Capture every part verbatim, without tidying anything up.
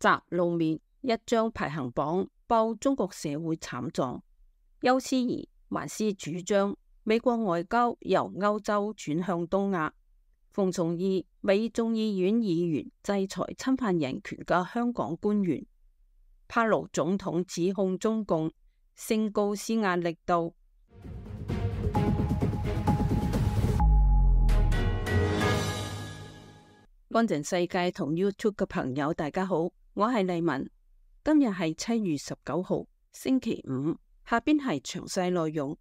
習露面，一張排行榜報中國社會慘狀。邱思怡還是主張美國外交由歐洲轉向東亞。馮崇義，美眾議院議員制裁侵犯人權嘅香港官員。帕勞總統指控中共升高施壓力度。乾淨世界同 YouTube 嘅朋友大家好，我係麗文。今日係七月十九號星期五，下邊係詳細內容。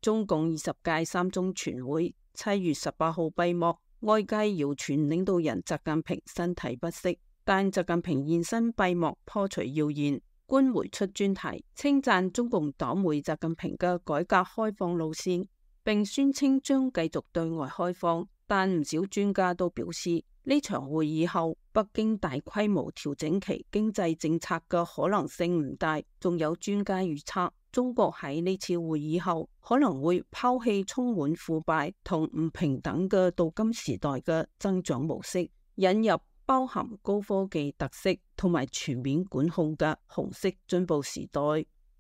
中共二十屆三中全會七月十八號閉幕，外界謠傳領導人習近平身體不適，但習近平現身閉幕破除謠言。官媒出專題稱讚中共黨媒習近平嘅改革開放路線，並宣稱將繼續對外開放。但唔少專家都表示，呢場會議後北京大規模調整其經濟政策嘅可能性唔大。仲有專家預測，中國喺呢次會議後可能會拋棄充滿腐敗同唔平等嘅鍍金時代嘅增長模式，引入包含高科技特色同埋全面管控嘅紅色進步時代。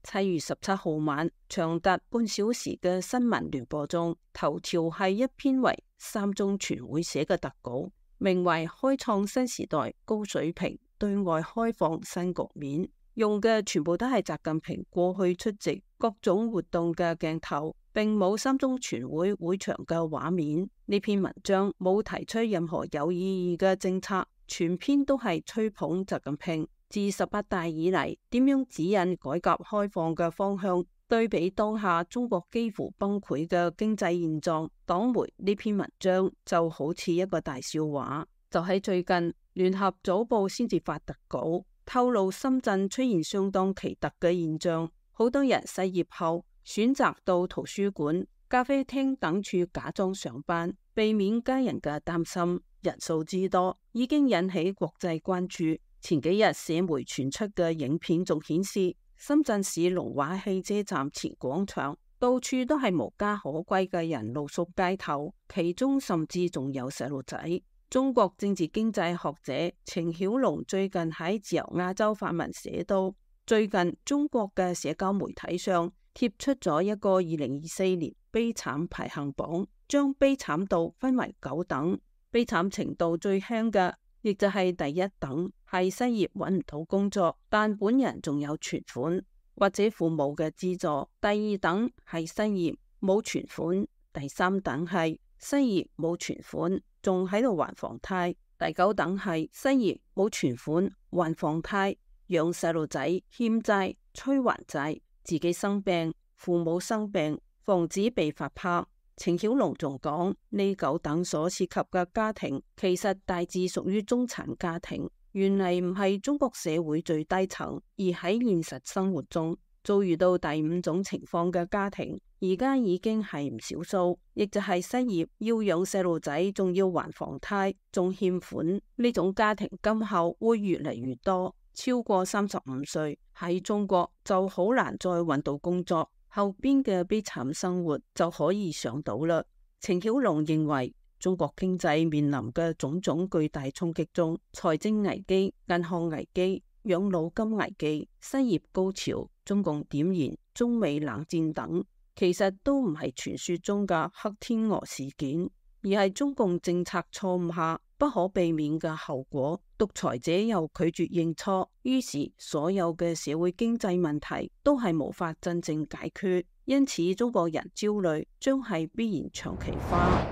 七月十七號晚，長達半小時嘅新聞聯播中，頭條係一篇為三中全會寫嘅特稿，名為《開創新時代高水平對外開放新局面》，用嘅全部都係習近平過去出席各種活動嘅鏡頭，並冇三中全會會場嘅畫面。呢篇文章冇提出任何有意義嘅政策，全篇都係吹捧習近平自十八大以嚟點樣指引改革開放嘅方向。對比當下中國幾乎崩潰嘅經濟現狀，黨媒呢篇文章就好似一個大笑話。就喺最近，聯合早報先至發特稿，透露深圳出現相當奇特嘅現象，好多人失業後選擇到圖書館、咖啡廳等處假裝上班，避免家人嘅擔心。人數之多已經引起國際關注。前幾日社媒傳出嘅影片仲顯示，深圳市龍華汽車站前廣場到處都係無家可歸嘅人露宿街頭，其中甚至仲有細路仔。中國政治經濟學者程曉龍最近喺自由亞洲發文寫到，最近中國嘅社交媒體上貼出咗一個二零二四年悲慘排行榜，將悲慘度分為九等，悲慘程度最輕嘅亦就係第一等，係失業揾唔到工作，但本人仲有存款或者父母嘅資助；第二等係失業冇存款；第三等係失業冇存款仲喺度還房貸；第九等係失業冇存款還房貸，養細路仔欠債催還債，自己生病父母生病防止被發拍。程曉龍仲講，呢九等所涉及嘅家庭其實大致屬於中產家庭，原嚟唔係中國社會最低層，而喺現實生活中遭遇到第五種情況嘅家庭，而家已經係唔少數，亦就係失業要養細路仔，仲要還房貸，仲欠款，呢種家庭今後會越嚟越多。超過三十五歲喺中國就好難再揾到工作，後邊嘅悲慘生活就可以想到啦。程曉龍認為，中國經濟面臨嘅種種巨大衝擊中，財政危機、銀行危機、養老金危機、失業高潮、中共點燃中美冷戰等，其實都唔係傳說中嘅黑天鵝事件，而係中共政策錯誤下不可避免嘅後果。獨裁者又拒絕認錯，於是所有嘅社會經濟問題都係無法真正解決，因此中國人焦慮將係必然長期化。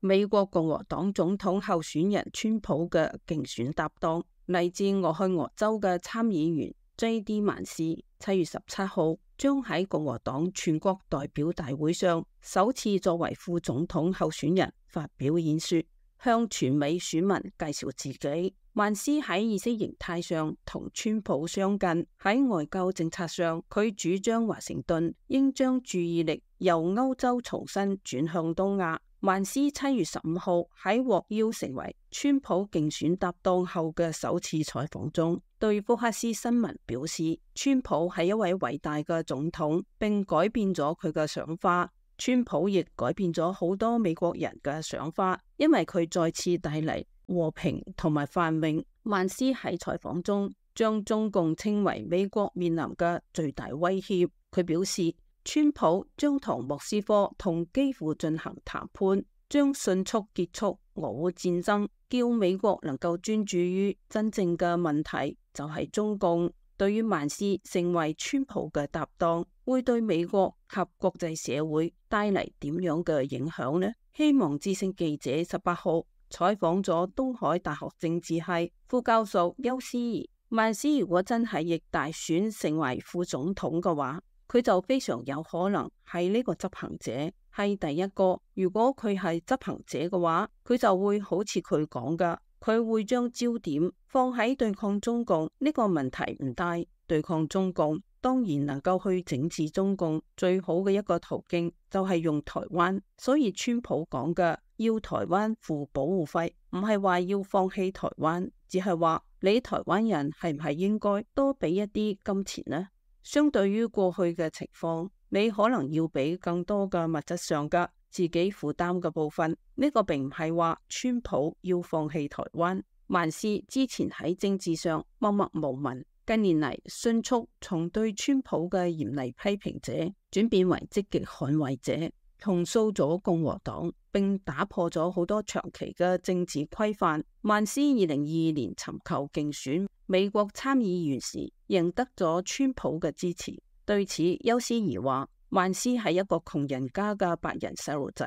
美國共和黨總統候選人川普嘅競選搭檔，嚟自俄亥俄州嘅參議員 J D 曼斯，七月十七號將喺共和黨全國代表大會上首次作為副總統候選人發表演說，向全美選民介紹自己。曼斯喺意識形態上同川普相近，喺外交政策上，佢主張華盛頓應將注意力由歐洲重新轉向東亞。曼斯七月十五號喺獲邀成為川普競選搭檔後嘅首次採訪中，對福克斯新聞表示，川普係一位偉大嘅總統，並改變咗佢嘅想法。川普亦改變咗好多美國人嘅想法，因為佢再次帶嚟和平同埋繁榮。曼斯喺採訪中將中共稱為美國面臨嘅最大威脅。佢表示，川普將同莫斯科同基輔進行談判，將迅速結束俄烏戰爭，叫美國能夠專注於真正嘅問題，就係中共。對於曼斯成為川普嘅搭檔，會對美國及國際社會帶嚟點樣嘅影響呢？希望之聲記者十八號採訪咗東海大學政治系副教授邱思怡。曼斯如果真係逆大選成為副總統嘅話，佢就非常有可能係呢個執行者，係第一個。如果佢係執行者嘅話，佢就會好似佢講噶。佢會將焦點放喺對抗中共呢個問題唔大，對抗中共當然能夠去整治中共，最好嘅一個途徑就係用台灣。所以川普講嘅要台灣付保護費，唔係話要放棄台灣，只係話你台灣人係唔係應該多俾一啲金錢呢？相對於過去嘅情況，你可能要俾更多嘅物質上嘅自己負擔嘅部分。呢個並唔係話川普要放棄台灣。曼斯之前喺政治上默默無聞，近年嚟迅速從對川普嘅嚴厲批評者轉變為積極捍衛者，重塑咗共和黨，並打破咗好多長期嘅政治規範。曼斯二零二二年尋求競選美國參議員時，贏得咗川普嘅支持。對此，邱思怡話，曼斯係一個窮人家嘅白人細路仔，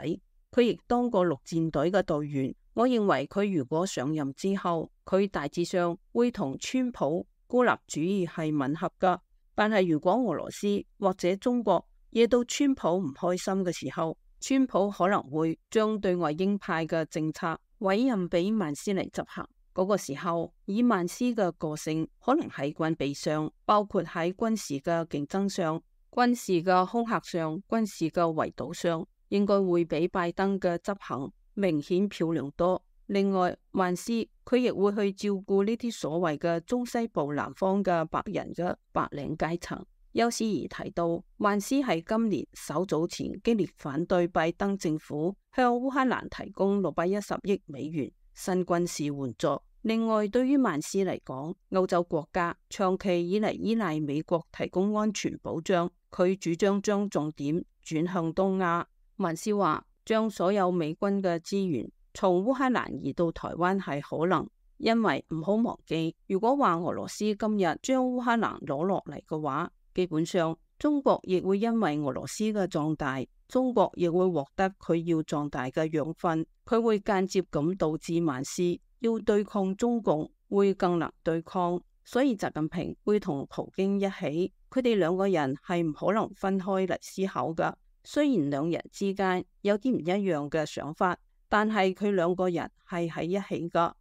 佢亦當過陸戰隊嘅隊員。我認為佢如果上任之後，佢大致上會同川普孤立主義係吻合噶。但係如果俄羅斯或者中國惹到川普唔開心嘅時候，川普可能會將對外鷹派嘅政策委任俾曼斯嚟執行。嗰個時候，以曼斯嘅個性，可能喺軍備上，包括喺軍事嘅競爭上、軍事嘅恐嚇上、軍事嘅圍堵上，應該會比拜登嘅執行明顯漂亮多。另外，曼斯佢亦會去照顧呢啲所謂嘅中西部南方嘅白人嘅白領階層。邱思怡提到，曼斯喺今年稍早前激烈反對拜登政府向烏克蘭提供六百一十億美元新軍事援助。另外，對於曼斯嚟講，歐洲國家長期以嚟依賴美國提供安全保障，佢主張將重點轉向東亞。曼斯話，將所有美軍嘅資源從烏克蘭移到台灣係可能，因為唔好忘記，如果話俄羅斯今日將烏克蘭攞落嚟嘅話，基本上中國亦會因為俄羅斯嘅壯大，中國亦會獲得佢要壯大嘅養分，佢會間接咁導致曼斯要對抗中共會更難對抗。所以習近平會同普京一起，佢哋兩個人係唔可能分開嚟思考噶。雖然兩人之間有啲唔一樣嘅想法，但係佢兩個人係喺一起噶。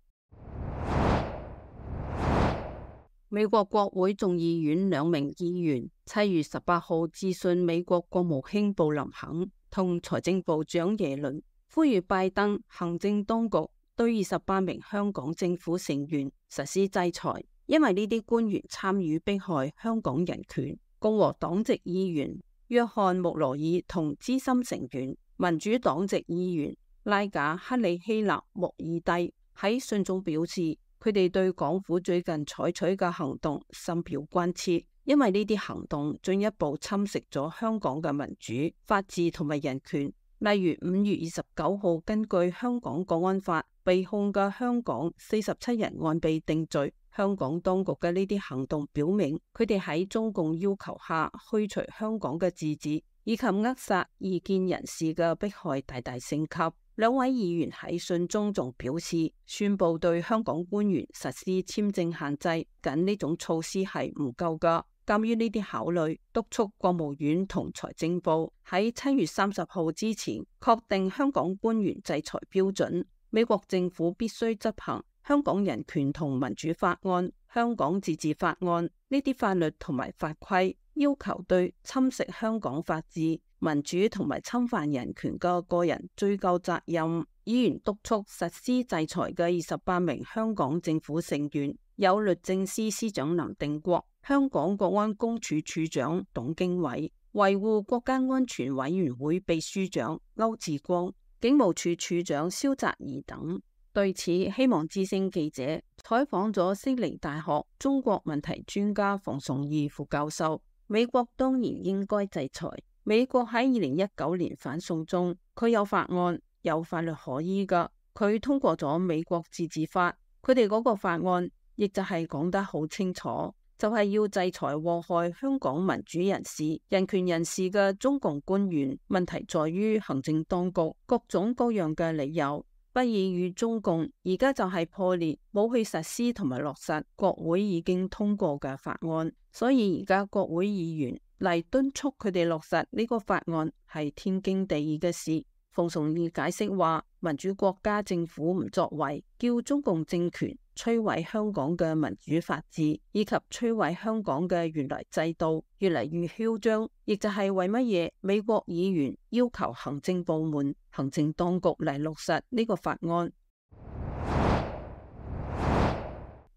美國國會眾議院兩名議員七月十八號致信美國國務卿布林肯同財政部長耶倫，呼籲拜登行政當局對二十八名香港政府成員實施制裁，因為呢啲官員參與迫害香港人權。共和黨籍議員約翰穆羅爾同資深成員民主黨籍議員拉賈克里希納穆爾蒂喺信中表示，佢哋對港府最近採取嘅行動深表關切，因為呢啲行動進一步侵蝕咗香港嘅民主、法治同埋人權。例如五月二十九號根據香港國安法被控嘅香港四十七人案被定罪，香港當局嘅呢啲行動表明，佢哋喺中共要求下驅除香港嘅自治，以及扼殺異見人士嘅迫害大大升級。兩位議員喺信中仲表示，宣布對香港官員實施簽證限制，僅呢種措施係唔夠噶。鑒於呢啲考慮，督促國務院同財政部喺七月三十號之前確定香港官員制裁標準。美國政府必須執行香港人權同民主法案、香港自治法案呢啲法律同埋法規，要求對侵蝕香港法治、民主同埋侵犯人權嘅個人追究責任。議員督促實施制裁嘅二十八名香港政府成員有律政司司長林定國、香港國安公署署長董經緯、維護國家安全委員會秘書長歐志光、警務處處長蕭澤頤等。對此，希望之聲記者採訪咗悉尼大學中國問題專家馮崇義副教授。美國當然應該制裁。美國喺二零一九年反送中，佢有法案，有法律可依噶。佢通過咗美國自治法，佢哋嗰個法案亦就係講得好清楚，就係要制裁禍害香港民主人士、人權人士嘅中共官員。問題在於行政當局各種各樣嘅理由不以與中共，而家就係破裂，冇去實施同埋落實國會已經通過嘅法案，所以而家國會議員嚟敦促佢哋落實呢個法案係天經地義嘅事。馮崇義解釋話，民主國家政府唔作為，叫中共政權摧毀香港嘅民主法治，以及摧毀香港嘅原來制度，越嚟越囂張，亦就係為乜嘢美國議員要求行政部門、行政當局嚟落實呢個法案。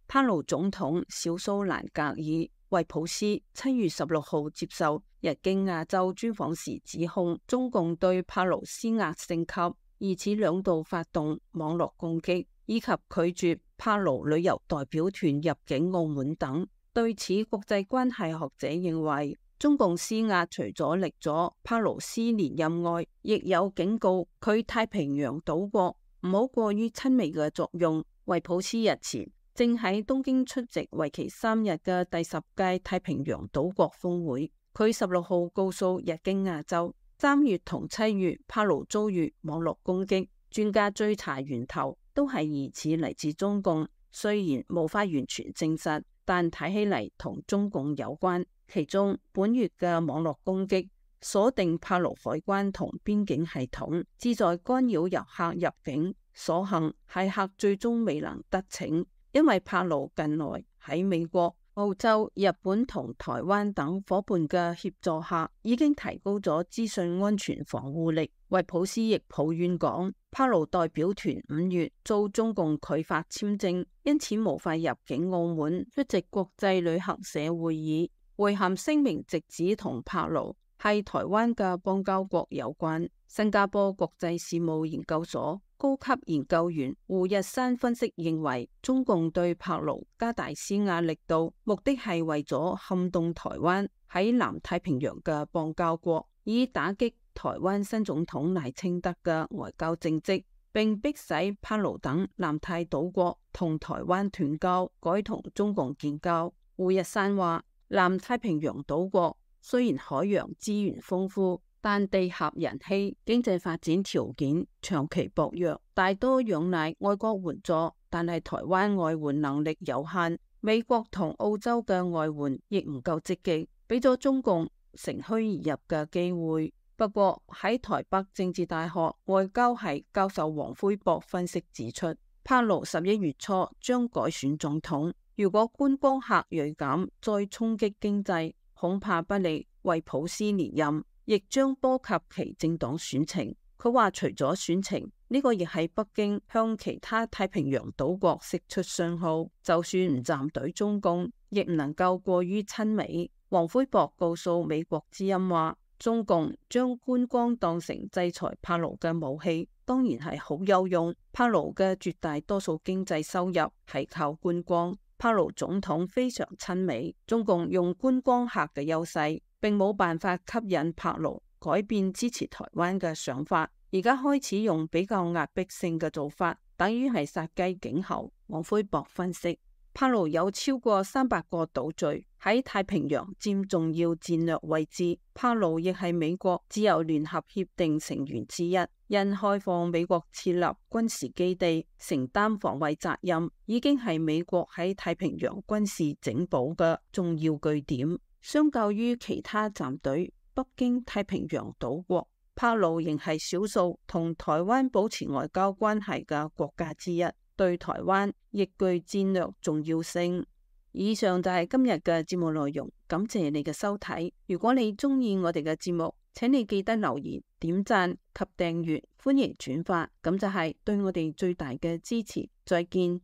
帕勞總統小蘇蘭格爾惠普斯七月十六號接受日經亞洲專訪時指控中共對帕勞施壓升級，以此兩度發動網絡攻擊，以及拒絕帕勞旅遊代表團入境澳門等。對此，國際關係學者認為，中共施壓除咗力阻帕勞斯連任外，亦有警告佢太平洋島國唔好過於親美嘅作用。惠普斯日前正喺東京出席為期三日嘅第十屆太平洋島國峰會。佢十六號告訴日經亞洲，三月同七月帕勞遭遇網絡攻擊，專家追查源頭都係疑似嚟自中共，雖然無法完全證實，但睇起嚟同中共有關。其中本月嘅網絡攻擊鎖定帕勞海關同邊境系統，旨在干擾遊客入境，所幸駭客最終未能得逞，因為帕勞近來喺美國、澳洲、日本同台灣等夥伴嘅協助下，已經提高咗資訊安全防護力。惠普斯亦抱怨講，帕勞代表團五月遭中共拒發簽證，因此無法入境澳門出席國際旅行社會議。會函聲明直指同帕勞係台灣嘅邦交國有關。新加坡國際事務研究所高級研究員胡日山分析認為，中共對帕勞加大施壓力度，目的係為咗撼動台灣喺南太平洋嘅邦交國，以打擊台灣新總統賴清德嘅外交政績，並迫使帕勞等南太島國同台灣斷交，改同中共建交。胡日山話，南太平洋島國雖然海洋資源豐富，但地狹人稀，經濟發展條件長期薄弱，大多仰賴外國援助，但係台灣外援能力有限，美國同澳洲嘅外援亦唔夠積極，俾咗中共乘虛而入嘅機會。不過喺台北政治大學外交系教授黃輝博分析指出，帕勞十一月初將改選總統，如果觀光客銳減，再衝擊經濟，恐怕不利惠普斯連任，亦將波及其政黨選情。佢話除咗選情，呢個亦係北京向其他太平洋島國釋出信號，就算唔站隊中共，亦唔能夠過於親美。黃輝博告訴美國之音話，中共將觀光當成制裁帕勞嘅武器，當然係好有用。帕勞嘅絕大多數經濟收入係靠觀光，帕勞總統非常親美，中共用觀光客嘅優勢，並冇辦法吸引帕勞改變支持台灣嘅想法，而家開始用比較壓迫性嘅做法，等於係殺雞儆猴。黃輝博分析，帕勞有超過三百個島嶼喺太平洋佔重要戰略位置，帕勞亦係美國自由聯合協定成員之一，因開放美國設立軍事基地、承擔防衛責任，已經係美國喺太平洋軍事整補嘅重要據點。相較於其他站隊北京太平洋島國，帕勞仍係少數同台灣保持外交關係嘅國家之一，對台灣亦具戰略重要性。以上就係今日嘅節目內容，感謝你嘅收睇。如果你中意我哋嘅節目，請你記得留言、點讚及訂閱，歡迎轉發，咁就係對我哋最大嘅支持。再見。